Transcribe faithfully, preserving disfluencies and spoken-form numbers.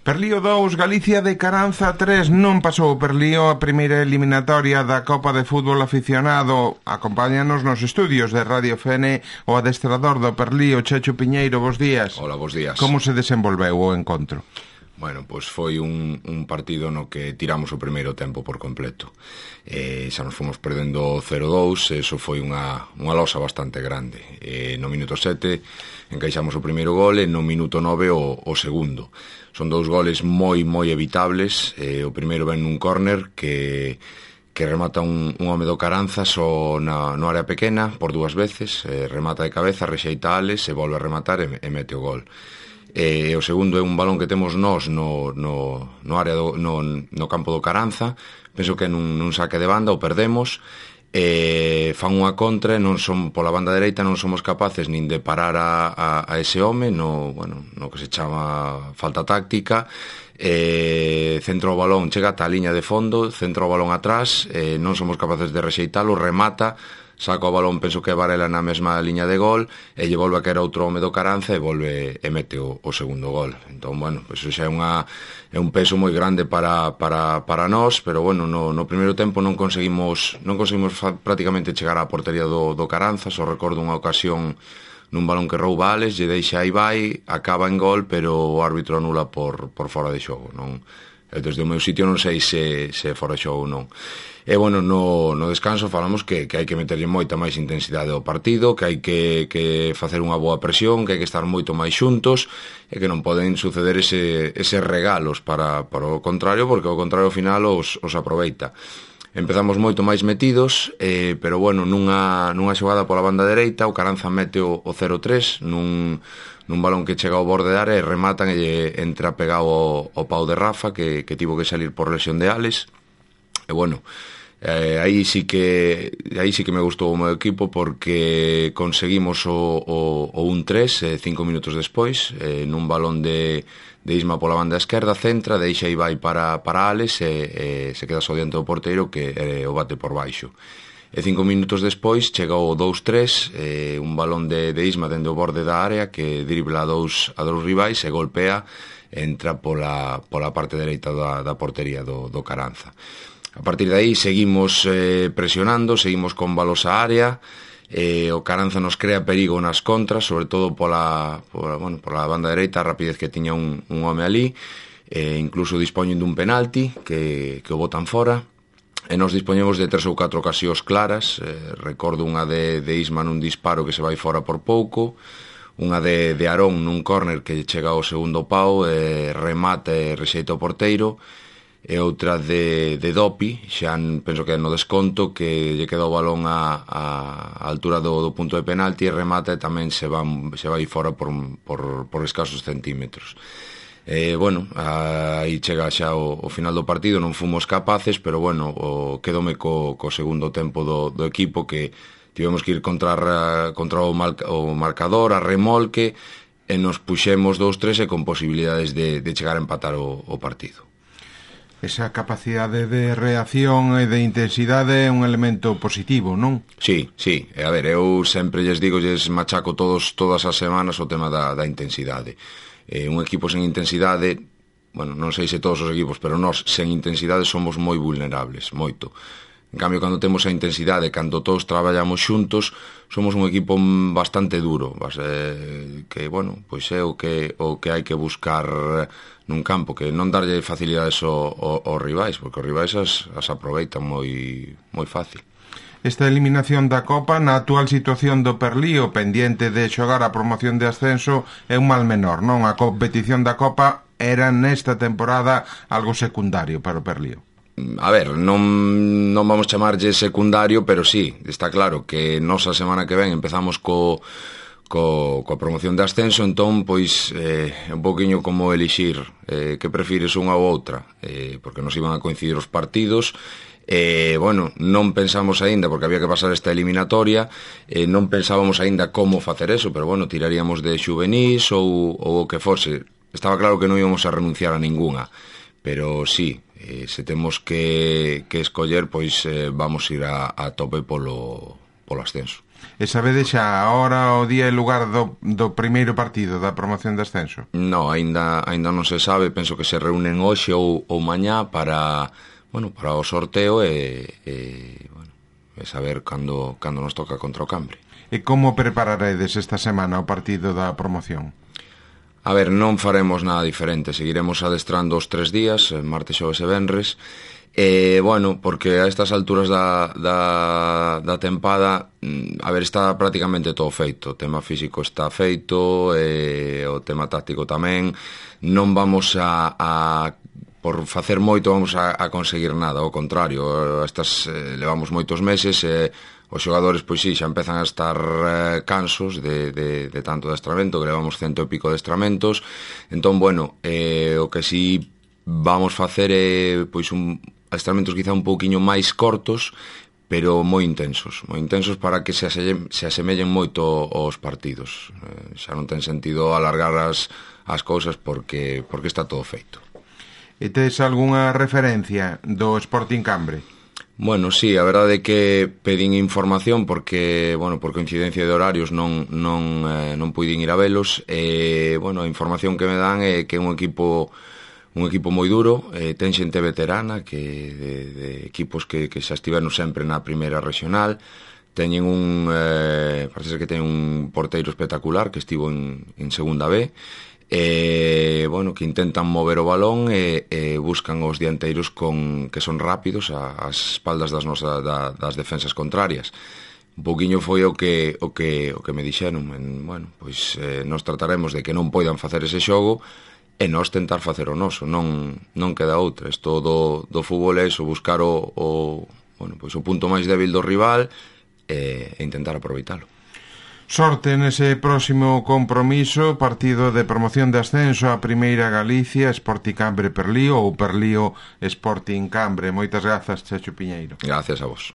Perlío dous, Galicia de Caranza tres. Non pasou o Perlío a primeira eliminatoria da Copa de Fútbol Aficionado. Acompáñanos nos estudios de Radio F N o adestrador do Perlío, Checho Piñeiro. Bos días. Hola, bos días. Como se desenvolveu o encontro? Bueno, pois foi un, un partido no que tiramos o primeiro tempo por completo. Eh, xa nos fomos perdendo cero dous, eso foi unha, unha losa bastante grande. Eh, no minuto sete encaixamos o primeiro gol e no minuto nove o, o segundo. Son dous goles moi, moi evitables. Eh, o primeiro ven nun córner que... que remata un, un home do Caranza só na, no área pequena por dúas veces, eh, remata de cabeza, rexeita Ales e volve a rematar e, e mete o gol. E o segundo é un balón que temos nós no, no, no área do, no, no campo do Caranza, penso que nun, nun saque de banda o perdemos, e fan unha contra e non son pola banda dereita, non somos capaces nin de parar a, a, a ese home no, bueno, no que se chama falta táctica. E centro o balón, chega ata a liña de fondo, centro o balón atrás, e non somos capaces de rexeitalo, remata, saca o balón, penso que é Varela na mesma liña de gol, e lle volve a caer outro home do Caranza e volve e mete o, o segundo gol. Entón, bueno, pues, xa é, unha, é un peso moi grande para, para, para nós, pero bueno, no, no primeiro tempo non conseguimos non conseguimos fa, prácticamente chegar á portería do, do Caranza. Só recordo unha ocasión nun balón que rouba Ales, lle deixa aí vai, acaba en gol, pero o árbitro anula por, por fora de xogo. Non, desde o meu sitio non sei se, se é fora de xogo ou non. E, bueno, no, no descanso falamos que, que hai que meterlle moita máis intensidade ao partido, que hai que, que facer unha boa presión, que hai que estar moito máis xuntos, e que non poden suceder ese, eses regalos para, para o contrario, porque o contrario ao final os, os aproveita. Empezamos moito máis metidos, eh, pero, bueno, nunha, nunha xogada pola banda dereita, o Caranza mete o, o cero tres, nun... nun balón que chega ao borde de área e rematan e lle entra pegado ao, ao pau de Rafa, que, que tivo que salir por lesión de Ales. E, bueno, eh, aí sí que aí sí que me gustou o meu equipo, porque conseguimos o, o, o un tres eh, cinco minutos despois, eh, nun balón de, de Isma pola banda esquerda, centra, deixa e vai para, para Ales e, e se queda só diante do porteiro, que eh, o bate por baixo. E cinco minutos despois chega o dous tres, eh, un balón de, de Isma dende o borde da área que dribla a dous, a dous rivais e golpea, entra pola, pola parte dereita da, da portería do, do Caranza. A partir de aí seguimos eh, presionando, seguimos con balos a área, eh, o Caranza nos crea perigo nas contras, sobre todo pola, pola, bueno, pola banda dereita, a rapidez que tiña un, un home ali, eh, incluso dispoñen dun penalti que, que o botan fora. E nos dispoñemos de tres ou catro ocasións claras. eh, recordo unha de, de Isma nun disparo que se vai fora por pouco, unha de, de Arón nun córner que chega ao segundo pau, e remata e rexeita o porteiro, e outra de, de Dopi, xa penso que é no desconto, que lle queda o balón a, a, a altura do, do punto de penalti e remata e tamén se, van, se vai fora por, por, por escasos centímetros. Eh, bueno, aí chega xa o, o final do partido, non fomos capaces, pero bueno, o, quedome co, co segundo tempo do, do equipo, que tivemos que ir contra, contra o, mal, o marcador, a remolque, e nos puxemos dous tres e con posibilidades de, de chegar a empatar o, o partido. Esa capacidade de reacción e de intensidade é un elemento positivo, non? Sí, sí, e a ver, eu sempre lles digo, lles machaco todos, todas as semanas o tema da, da intensidade. Eh, un equipo sen intensidade, bueno, non sei se todos os equipos, pero nós sen intensidade somos moi vulnerables, moito. En cambio, cando temos a intensidade, cando todos traballamos xuntos, somos un equipo bastante duro, eh, que, bueno, pois é o que, o que hai que buscar nun campo, que non darlle facilidades ao, ao, aos rivais, porque os rivais as, as aproveitan moi, moi fácil. Esta eliminación da Copa, na actual situación do Perlío, pendiente de xogar a promoción de ascenso, é un mal menor, non? A competición da Copa era nesta temporada algo secundario para o Perlío. A ver, non, non vamos chamarlle secundario, pero sí, está claro que nos a semana que ven empezamos co, co, coa promoción de ascenso, entón, pois, é eh, un poquinho como elixir eh, que prefires unha ou outra, eh, porque nos iban a coincidir os partidos. E, bueno, non pensamos aínda, porque había que pasar esta eliminatoria, e non pensábamos aínda como facer eso, pero, bueno, tiraríamos de xuvenís ou, ou o que fose. Estaba claro que non íbamos a renunciar a ningunha, pero sí, eh, se temos que, que escoller, pois eh, vamos ir a, a tope polo, polo ascenso. E sabedes xa a hora, o día e lugar do, do primeiro partido da promoción de ascenso? No, aínda aínda non se sabe, penso que se reúnen hoxe ou, ou mañá para, bueno, para o sorteo e, e, bueno, e saber cando, cando nos toca contra o Cambre. E como prepararedes esta semana o partido da promoción? A ver, non faremos nada diferente, seguiremos adestrando os tres días, martes, xoves e venres. E, bueno, porque a estas alturas da, da, da tempada, a ver, está prácticamente todo feito. O tema físico está feito, e o tema táctico tamén. Non vamos a, a por facer moito, vamos a, a conseguir nada. Ao contrario, estas eh, levamos moitos meses e os xogadores, pois sí, xa empezan a estar eh, cansos de, de, de tanto adestramento, que levamos cento e pico adestramentos. Entón, bueno, eh, o que sí vamos facer é, pois, un adestramentos quizá un pouquiño máis cortos, pero moi intensos, moi intensos para que se, asellen, se asemellen moito aos partidos. Eh, xa non ten sentido alargar as, as cousas porque, porque está todo feito. E tes algunha referencia do Sporting Cambre? Bueno, sí, a verdade é que pedín información porque, bueno, por coincidencia de horarios non, non, eh, non puidín ir a velos e, bueno, a información que me dan é que é un equipo un equipo moi duro, eh, ten xente veterana que de, de equipos que, que xa estiveron sempre na primeira regional, teñen un eh, parece que ten un porteiro espectacular que estivo en, en segunda B, e, bueno, que intentan mover o balón e, e buscan os dianteiros con, que son rápidos ás espaldas das, nosas, da, das defensas contrarias. Un pouquiño foi o que o que o que me dixeron, en, bueno, pois eh, nos trataremos de que non poidan facer ese xogo e nós tentar facer o noso, non, non queda outra. Isto do, do fútbol é iso, buscar o, o, bueno, pois o punto máis débil do rival e, e intentar aproveitalo. Sorte nese próximo compromiso, partido de promoción de ascenso a Primeira Galicia, Sporting Cambre Perlío ou Perlío Sporting Cambre. Moitas grazas, Checho Piñeiro. Gracias a vos.